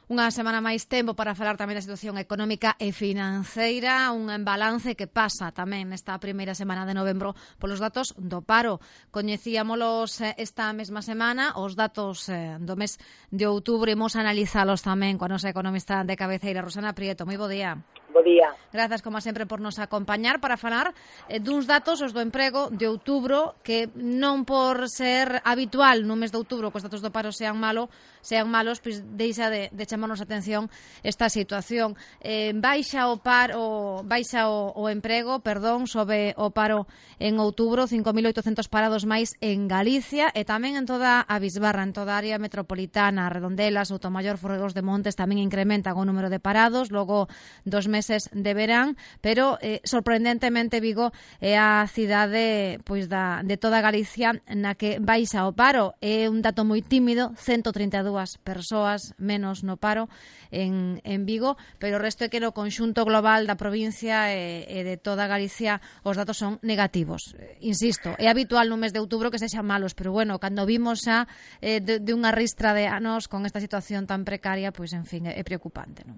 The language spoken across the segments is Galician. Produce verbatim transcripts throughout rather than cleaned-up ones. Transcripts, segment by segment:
Unha semana máis tempo para falar tamén da situación económica e financeira, un balance que pasa tamén nesta primeira semana de novembro polos datos do paro. Coñecíamolos esta mesma semana, os datos do mes de outubro, imos analizalos tamén coa nosa economista de cabeceira, Rosana Prieto. Moi bo día. Bo día. Grazas, como sempre, por nos acompañar para falar eh, duns datos, os do emprego de outubro, que non por ser habitual no mes de outubro que os datos do paro sean malo, sean malos, pois deixa de, de chamarnos a atención esta situación. Eh, baixa o paro, baixa o, o emprego, perdón, sobe o paro en outubro, cinco mil oitocentos parados máis en Galicia e tamén en toda a Bisbarra, en toda a área metropolitana, Redondela, Soutomaior, Forregos de Montes tamén incrementan o número de parados, logo dos meses de verán, pero eh, sorprendentemente Vigo é a cidade pois da, de toda Galicia na que baixa o paro. É un dato moi tímido, ciento trinta e dúas persoas menos no paro en, en Vigo, pero o resto é que no conxunto global da provincia e, e de toda Galicia os datos son negativos. Insisto, é habitual no mes de outubro que sexan malos, pero bueno, cando vimos xa eh, de, de unha ristra de anos con esta situación tan precaria, pois en fin, é, é preocupante, non?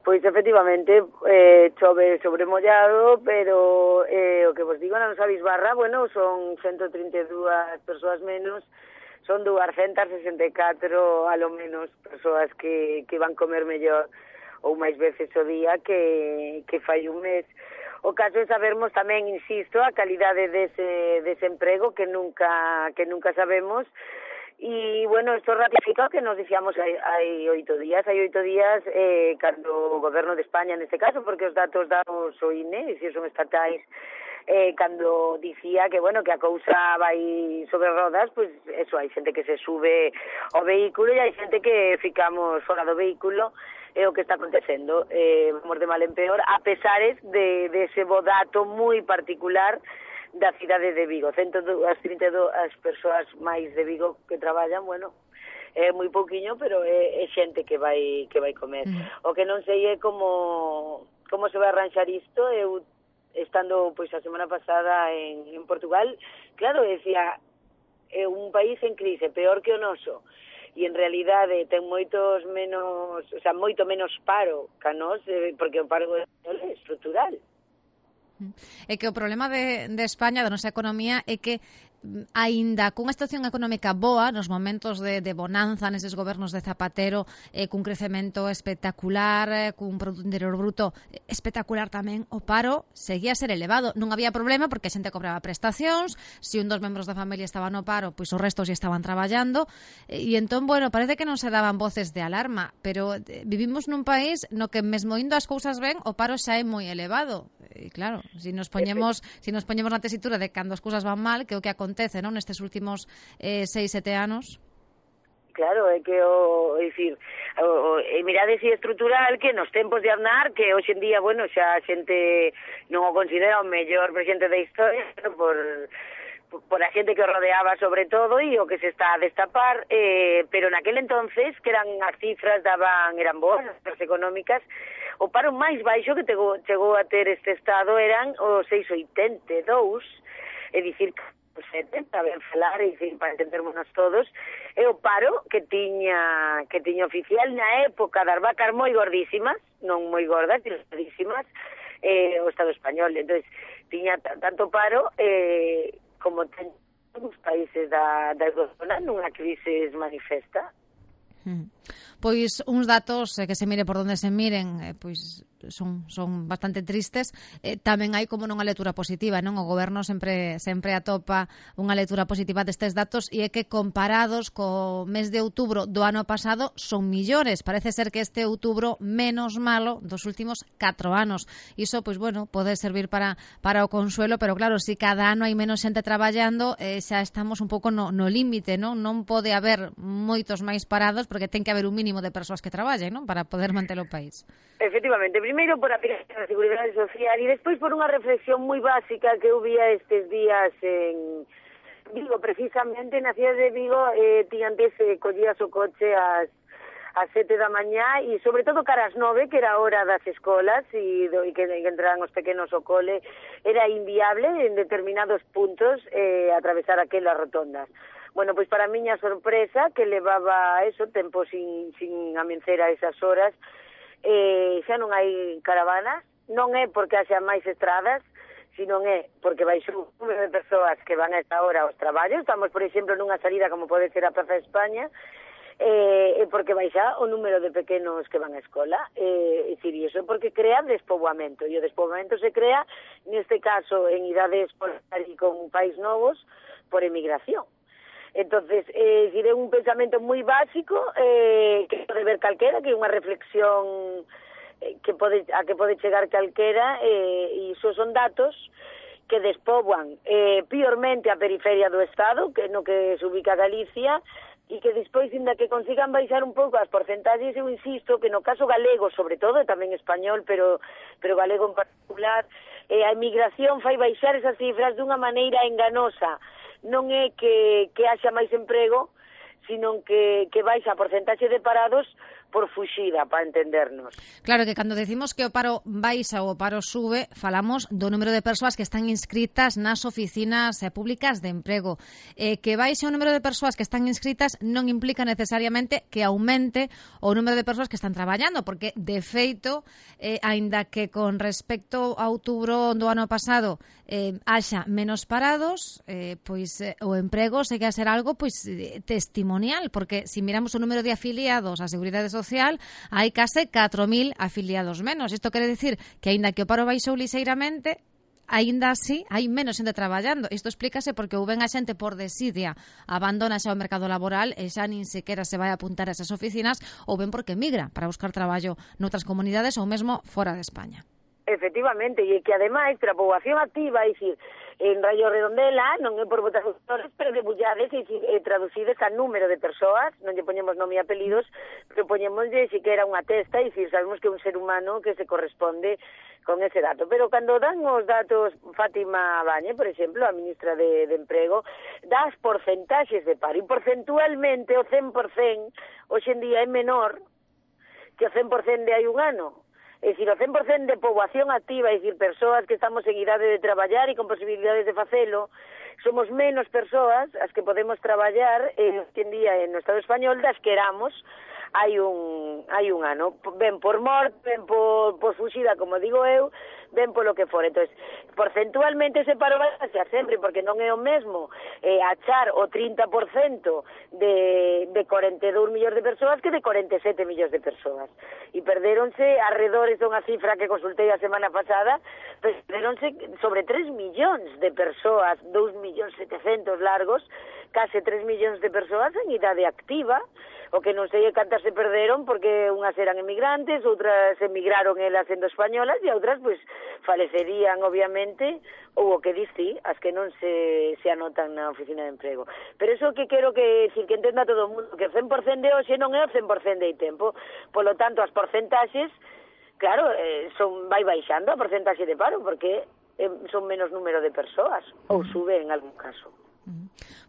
Pois efectivamente, eh, chove sobre mollado, pero eh, o que vos digo na nosa Bisbarra, bueno, son ciento trinta e dúas persoas menos, son duascentas sesenta e catro a lo menos persoas que, que van comer mellor ou máis veces o día que, que fai un mes. O caso é sabermos tamén, insisto, a calidade dese desemprego que nunca que nunca sabemos. Y bueno, esto ratifica o que nos dicíamos hai, hai oito días, hai oito días eh, cando o goberno de España neste caso, porque os datos dados o I N E, e se son estatais, eh, cando dicía que, bueno, que a cousa vai sobre rodas, pois pues, eso, hai xente que se sube ao vehículo e hai xente que ficamos fora do vehículo, é o que está acontecendo, eh, vamos de mal en peor, a pesares de, de ese bo dato moi particular da cidade de Vigo, ciento trinta e dúas persoas máis de Vigo que traballan, bueno, é moi pouquiño, pero é, é xente que vai que vai comer. Mm. O que non sei é como como se vai arranxar isto. Eu, estando pois a semana pasada en, en Portugal, claro, decía, é un país en crise, peor que o noso, e en realidade ten moitos menos, o sea, moito menos paro que a nós, porque o paro é estrutural. É que o problema de, de España, da nosa economía, é que aínda cunha situación económica boa nos momentos de, de bonanza neses gobernos de Zapatero, eh, cun crecemento espectacular, eh, cun Produto Interior Bruto espectacular tamén, o paro seguía a ser elevado. Non había problema porque a xente cobraba prestacións, se un dos membros da familia estaba no paro, pois os restos ya estaban traballando, e, e entón, bueno, parece que non se daban voces de alarma, pero eh, vivimos nun país no que mesmo indo as cousas ben, o paro xa é moi elevado. E claro, se nos poñemos, se nos poñemos na tesitura de cando as cousas van mal, que é o que acontece acontece, non, nestes últimos eh, seis, sete anos? Claro, é que o, é dicir, o, o, e mirade si estrutural que nos tempos de Aznar, que hoxe en día, bueno, xa a xente non o considera o mellor presidente da historia, por por a xente que o rodeaba sobre todo e o que se está a destapar, eh, pero naquel entonces, que eran as cifras daban, eran boas, as económicas, o paro máis baixo que tego, chegou a ter este estado eran os seis vírgula oitenta e dous, é dicir, setenta, ben falar, e para entendermonos todos, é o paro que tiña que tiña oficial na época das vacas moi gordísimas, non moi gordas, sino gordísimas, eh, o Estado español. Entonces, tiña tanto paro eh, como ten os países da, da Eurozona nunha crisis manifesta. Hmm. Pois uns datos eh, que se mire por donde se miren, eh, pois son son bastante tristes. Eh, tamén hai como non a lectura positiva, non? O goberno sempre sempre atopa unha lectura positiva destes datos e é que comparados co mes de outubro do ano pasado son millores. Parece ser que este outubro menos malo dos últimos catro anos. Iso, pois bueno, pode servir para para o consuelo, pero claro, se si cada ano hai menos xente traballando, eh, xa estamos un pouco no, no límite, non? Non pode haber moitos máis parados porque ten que haber un mínimo de persoas que traballen, non? Para poder manter o país. Efectivamente, primeiro por a da Seguridade Social e despois por unha reflexión moi básica que eu vía estes días en Vigo, precisamente na cidade de Vigo, eh, ti antes eh, collías o coche ás ás sete da mañá e sobre todo cara ás nove, que era a hora das escolas e, do, e que, que entraran os pequenos ao cole, era inviable en determinados puntos eh, atravesar aquelas rotondas. Bueno, pois para a miña sorpresa, que levaba eso, tempo sin, sin amencer a esas horas, eh, xa non hai caravanas, non é porque haxa máis estradas, sino é porque baixou un número de persoas que van a esta hora aos traballos. Estamos, por exemplo, nunha salida como pode ser a Praza de España, eh, porque baixa o número de pequenos que van á escola, eh, é dicir, iso porque crea despoboamento, e o despoboamento se crea, neste caso, en idade escolar e con pais novos, por emigración. Entonces, eh, é un pensamento moi básico, eh, que pode ver calquera, que é unha reflexión eh, que pode, a que pode chegar calquera, eh, e iso son datos que despoboan eh, piormente a periferia do Estado, que no que se ubica Galicia, e que despois, inda que consigan baixar un pouco as porcentaxes, eu insisto que no caso galego, sobre todo, e tamén español, pero pero galego en particular, eh, a emigración fai baixar esas cifras dunha maneira enganosa. Non é que, que haxa máis emprego, sino que, que baixa a porcentaxe de parados por fuxida, para entendernos. Claro que cando decimos que o paro baixa ou o paro sube, falamos do número de persoas que están inscritas nas oficinas eh, públicas de emprego. Eh, que baixe o número de persoas que están inscritas non implica necesariamente que aumente o número de persoas que están traballando, porque, de feito, eh, aínda que con respecto a outubro do ano pasado eh, haxa menos parados, eh, pois eh, o emprego segue a ser algo pois eh, testimonial, porque se si miramos o número de afiliados á Seguridade Social, Social, hai case catro mil afiliados menos. Isto quere dicir que, aínda que o paro baixou lixeiramente, aínda así hai menos xente traballando. Isto explícase porque ou ben a xente por desidia abandona xa o mercado laboral e xa nin sequera se vai a apuntar a esas oficinas, ou ben porque migra para buscar traballo noutras comunidades ou mesmo fora de España. Efectivamente, e que ademais, para a poboación activa, é dicir, en Rayo Redondela, non é por votacións, pero debullades e eh, traducides a número de persoas, non lle poñemos nome e apelidos, pero poñemoslle si que era unha testa, e dicir, sabemos que é un ser humano que se corresponde con ese dato. Pero cando dan os datos, Fátima Bañe, por exemplo, a ministra de, de Emprego, das porcentaxes de paro, e porcentualmente o cen por cen hoxe en día é menor que o cen por cen de hai un ano. É dicir, o cen por cen de poboación activa, é dicir, persoas que estamos en idade de traballar e con posibilidades de facelo, somos menos persoas as que podemos traballar eh, hoxe en día no Estado español das que éramos hai un hai un ano, ben por morte, ben por, por fuxida, como digo eu, ben polo que for. Entonces, porcentualmente ese paro vai a ser sempre, porque non é o mesmo eh, achar o trinta por cento de, de cuarenta e dous millóns de persoas que de cuarenta e sete millóns de persoas. E perderonse, arredores dunha cifra que consultei a semana pasada, perderonse sobre tres millóns de persoas, dous millóns setecentos largos, case tres millóns de persoas en idade activa, o que non sei cantas se perderon porque unhas eran emigrantes, outras emigraron elas sendo españolas e outras pois falecerían obviamente, ou o que diste, as que non se, se anotan na oficina de emprego. Pero eso que quero que decir que entenda todo o mundo, que o cen por cen de hoxe non é o cen por cen de tempo, polo tanto as porcentaxes, claro, eh, son vai baixando a porcentaxe de paro porque eh, son menos número de persoas, ou sube en algún caso.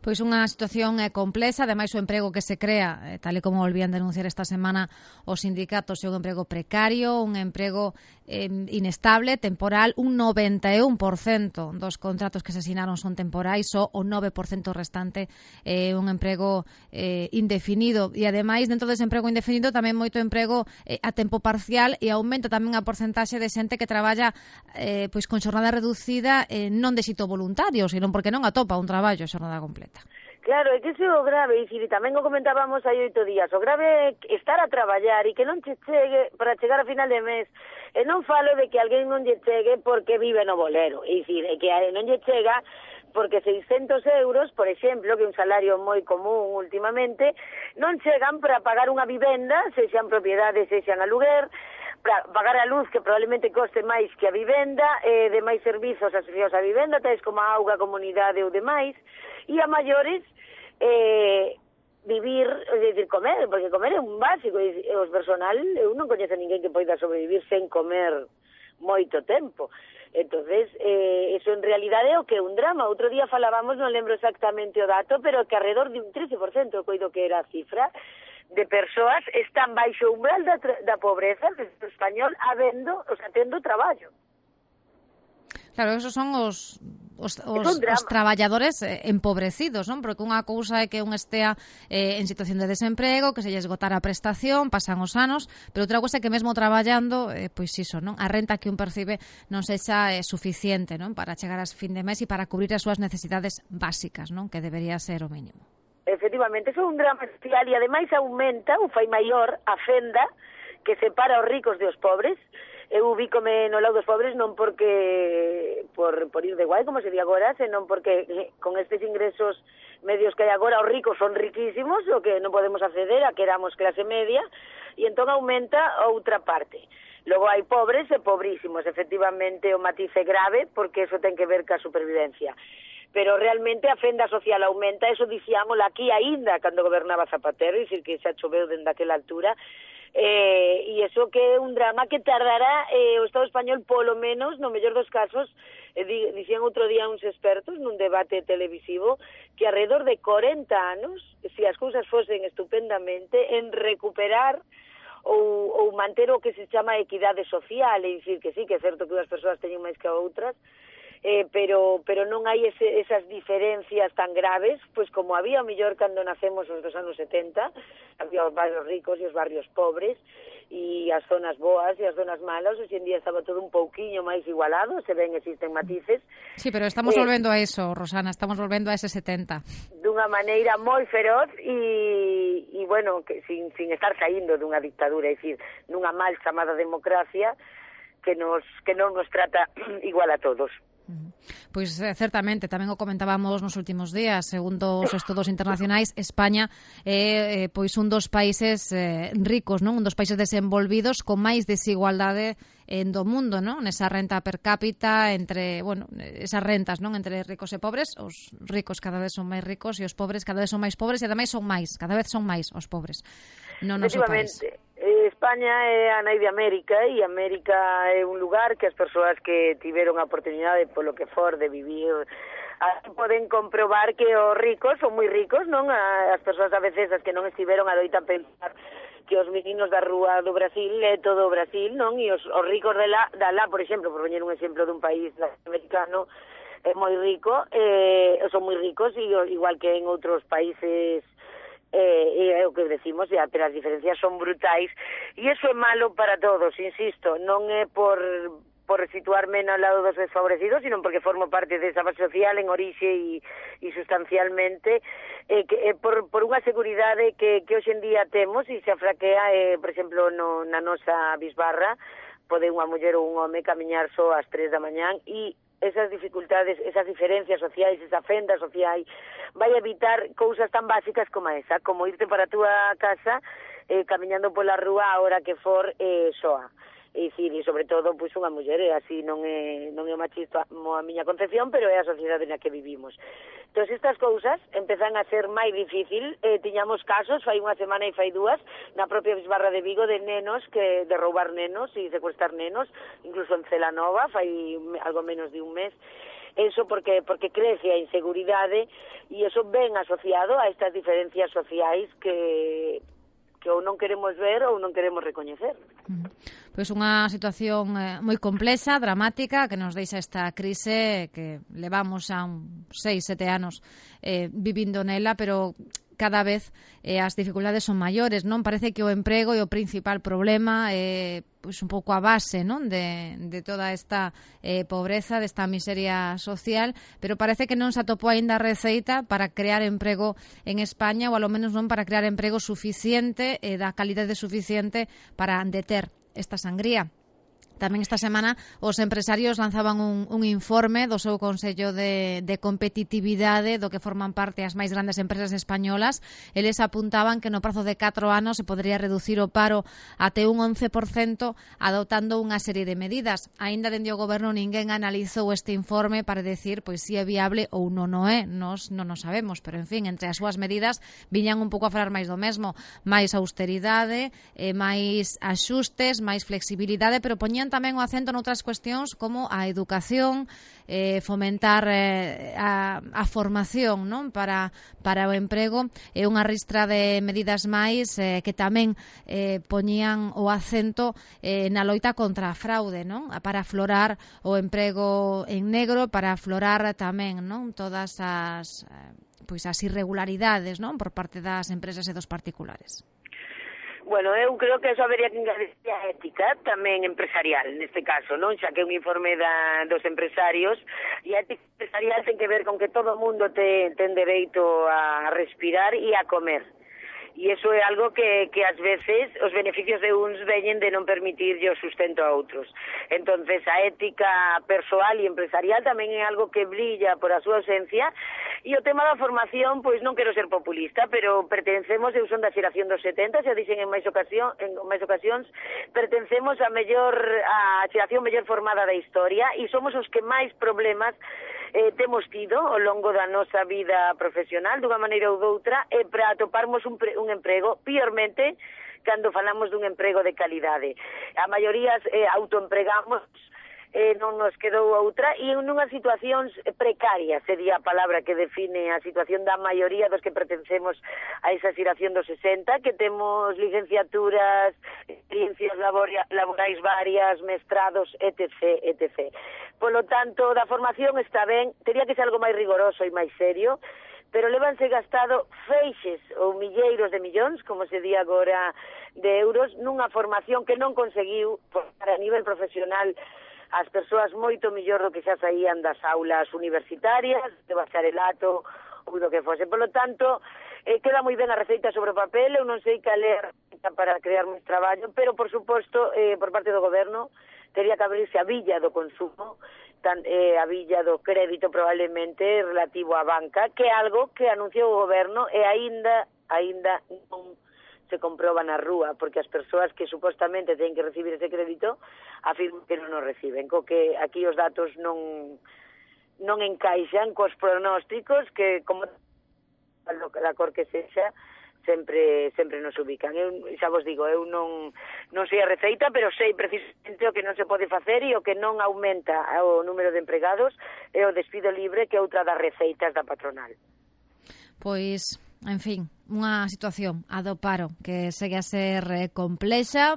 Pois unha situación é complexa, ademais o emprego que se crea, tal e como volvían denunciar esta semana os sindicatos, é un emprego precario, un emprego eh, inestable, temporal, un noventa e un por cento dos contratos que se asinaron son temporais, só o nove por cento restante é eh, un emprego eh, indefinido, e ademais dentro dese emprego indefinido tamén moito emprego eh, a tempo parcial, e aumenta tamén a porcentaxe de xente que traballa eh, pois con xornada reducida, eh, non de xito voluntario, senón porque non atopa un traballo a xornada completa. Claro, é que iso é o grave, e dicir, tamén o comentábamos hai oito días, o grave é estar a traballar e que non che chegue para chegar a final de mes, e non falo de que alguén non lle chegue porque vive no bolero, é dicir, é que non lle chega porque seiscentos euros, por exemplo, que é un salario moi común últimamente, non chegan para pagar unha vivenda, sexan propiedades, sexan aluguer, para pagar a luz, que probablemente coste máis que a vivenda, eh, de máis servizos asociados á vivenda, tais como a auga, comunidade ou demais, e a maiores eh, vivir, é dicir, comer, porque comer é un básico, e os personal, eu non coñezo a ninguén que poida sobrevivir sen comer moito tempo. Entonces, eh, eso en realidade é o que é un drama. Outro día falábamos, non lembro exactamente o dato, pero que alrededor de un trece por cento, coido que era a cifra, de persoas están baixo o umbral da, da pobreza do español habendo, o sea, tendo traballo. Claro, esos son os os, os, os traballadores eh, empobrecidos, non? Porque unha cousa é que un estea eh, en situación de desemprego, que se lle esgotara a prestación, pasan os anos, pero outra cousa é que mesmo traballando, eh, pois iso, non? A renta que un percibe non sexa eh, suficiente, non? Para chegar ás fin de mes e para cubrir as súas necesidades básicas, non? Que debería ser o mínimo. Efectivamente, eso é un drama social e ademais aumenta, ou fai maior, a fenda que separa os ricos de os pobres. Eu ubícome no lado dos pobres non porque por, por ir de guai, como se di agora, senón porque con estes ingresos medios que hai agora, os ricos son riquísimos, o que non podemos acceder a que éramos clase media, e entón aumenta outra parte. Logo hai pobres e pobrísimos, efectivamente o matiz é grave, porque eso ten que ver ca supervivencia. Pero realmente a fenda social aumenta, eso dicíamolo aquí aínda cando gobernaba Zapatero, e dicir que xa choveu dende aquela altura, Eh, e iso que é un drama que tardará eh, o Estado español polo menos, no mellor dos casos, eh, di, dicían outro día uns expertos nun debate televisivo que alrededor de corenta anos, se as cousas fosen estupendamente, en recuperar ou, ou manter o que se chama equidade social, é dicir que sí, que é certo que unhas persoas teñen máis que outras, Eh, pero pero non hai ese, esas diferencias tan graves, pois como había o mellor cando nacemos os dos anos setenta, había os barrios ricos e os barrios pobres, e as zonas boas e as zonas malas, hoxe en día estaba todo un pouquiño máis igualado, se ven existen matices. Sí, pero estamos eh, volvendo a eso, Rosana, estamos volvendo a ese setenta. Dunha maneira moi feroz e, e bueno, que sin, sin estar saindo dunha dictadura, é dicir, nunha mal chamada democracia que nos que non nos trata igual a todos. Pois eh, certamente, tamén o comentábamos nos últimos días, segundo os estudos internacionais, España é eh, pois un dos países eh, ricos, non? Un dos países desenvolvidos con máis desigualdade en do mundo, non? Nesa renta per cápita entre, bueno, esas rentas, non? Entre ricos e pobres, os ricos cada vez son máis ricos e os pobres cada vez son máis pobres e ademais son máis, cada vez son máis os pobres no noso país. España é a nai de América e América é un lugar que as persoas que tiveron a oportunidade polo que for de vivir aí poden comprobar que os ricos son moi ricos, non? As persoas a veces as que non estiveron adoitan pensar que os meninos da rúa do Brasil é todo o Brasil, non? E os, os ricos de lá, da lá, por exemplo, por poñer un exemplo dun país americano, é moi rico, eh, son moi ricos, e igual que en outros países eh, é o que decimos, ya, pero as diferencias son brutais e iso é malo para todos, insisto, non é por por situarme no lado dos desfavorecidos, sino porque formo parte desa base social en orixe e, e sustancialmente, eh, que, eh, por, por unha seguridade que, que hoxe en día temos e se afraquea, eh, por exemplo, no, na nosa bisbarra, pode unha muller ou un home camiñar só ás tres da mañán e esas dificultades, esas diferencias sociais, esa fenda social, vai evitar cousas tan básicas como esa, como irte para a túa casa eh, camiñando pola rúa a hora que for eh, soa. E dicir, e sobre todo, pois unha muller, e así non é, non é machista a miña concepción, pero é a sociedade na que vivimos. Entón, estas cousas empezan a ser máis difícil, eh, tiñamos casos, fai unha semana e fai dúas, na propia Bisbarra de Vigo, de nenos, que de roubar nenos e secuestrar nenos, incluso en Celanova, fai algo menos de un mes. Eso porque porque crece a inseguridade e eso ven asociado a estas diferencias sociais que que ou non queremos ver ou non queremos recoñecer. Pois unha situación eh, moi complexa, dramática, que nos deixa esta crise que levamos a un seis, sete anos eh, vivindo nela, pero cada vez eh, as dificultades son maiores, non? Parece que o emprego é o principal problema, eh, pois un pouco a base, non? De, de toda esta eh, pobreza, desta miseria social, pero parece que non se atopou aínda a receita para crear emprego en España, ou alo menos non para crear emprego suficiente, eh, da calidade suficiente para deter esta sangría. Tamén esta semana os empresarios lanzaban un, un informe do seu Consello de, de Competitividade do que forman parte as máis grandes empresas españolas. Eles apuntaban que no prazo de catro anos se podría reducir o paro até un once por cento adoptando unha serie de medidas. Aínda dende o goberno ninguén analizou este informe para decir pois si é viable ou non o é. Nos non o sabemos, pero en fin, entre as súas medidas viñan un pouco a falar máis do mesmo, máis austeridade, eh, máis axustes, máis flexibilidade, pero poñían tamén o acento noutras cuestións como a educación, eh, fomentar eh, a, a formación, non? Para, para o emprego, e unha ristra de medidas máis eh, que tamén eh, poñían o acento eh, na loita contra a fraude, non? Para aflorar o emprego en negro, para aflorar tamén, non? Todas as eh, pois as irregularidades, non? Por parte das empresas e dos particulares. Bueno, eu creo que eso habería que engadir a ética tamén empresarial, neste caso, non? Xa que é un informe da, dos empresarios, e a ética empresarial ten que ver con que todo o mundo te, ten dereito a respirar e a comer. E iso é algo que, que ás veces os beneficios de uns veñen de non permitir o sustento a outros. Entonces a ética persoal e empresarial tamén é algo que brilla por a súa ausencia. E o tema da formación, pois non quero ser populista, pero pertencemos, eu son da xeración dos setenta, xa dixen en máis ocasión, en máis ocasións, pertencemos a mellor a xeración mellor formada da historia e somos os que máis problemas eh, temos tido ao longo da nosa vida profesional, dunha maneira ou doutra, e para atoparmos un, pre, un emprego, piormente, cando falamos dun emprego de calidade. A maioría eh, autoempregamos, eh, non nos quedou outra, e en unhas situacións precarias, sería a palabra que define a situación da maioría dos que pertencemos a esa xeración dos sesenta, que temos licenciaturas, experiencias laborais varias, mestrados, etcétera, etcétera. Polo tanto, da formación está ben, teria que ser algo máis rigoroso e máis serio, pero levanse gastado feixes ou milleiros de millóns, como se di agora, de euros, nunha formación que non conseguiu, a nivel profesional, as persoas moito millor do que xa saían das aulas universitarias, de bacharelato ou do que fose. Por lo tanto, eh, queda moi ben a receita sobre o papel, eu non sei cal é a receita para crear máis traballo, pero, por suposto, eh, por parte do goberno, teria que abrirse a villa do consumo, tan, eh, a villa do crédito probablemente relativo á banca, que é algo que anunciou o goberno e aínda, aínda non se comproba na rúa, porque as persoas que supostamente teñen que recibir ese crédito afirman que non o reciben, co que aquí os datos non non encaixan cos pronósticos que, como da cor que sexa, sempre sempre nos ubican. Eu xa vos digo, eu non non sei a receita, pero sei precisamente o que non se pode facer e o que non aumenta o número de empregados é o despido libre, que é outra das receitas da patronal. Pois, en fin, unha situación a do paro que segue a ser eh, complexa.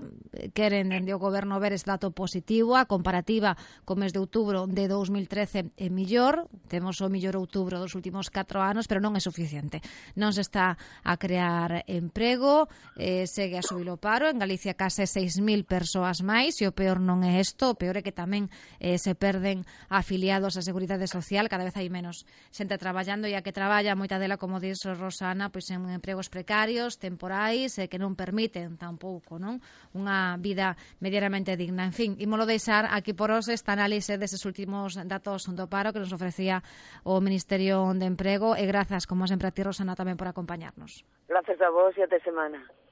Queren dende o goberno ver ese dato positivo, a comparativa co mes de outubro de dous mil trece é millor, temos o millor outubro dos últimos catro anos, pero non é suficiente. Non se está a crear emprego, eh, segue a subir o paro, en Galicia case seis mil persoas máis, e o peor non é isto, o peor é que tamén eh, se perden afiliados á Seguridade Social, cada vez hai menos xente traballando, e a que traballa, moita dela, como dixo Rosana, pois en empregos precarios, temporais, e que non permiten tampouco, non, unha vida medianamente digna. En fin, ímolo deixar aquí por hoxe esta análise deses últimos datos do paro que nos ofrecía o Ministerio de Emprego, e grazas, como sempre, a ti, Rosana, tamén por acompañarnos. Grazas a vos e até semana.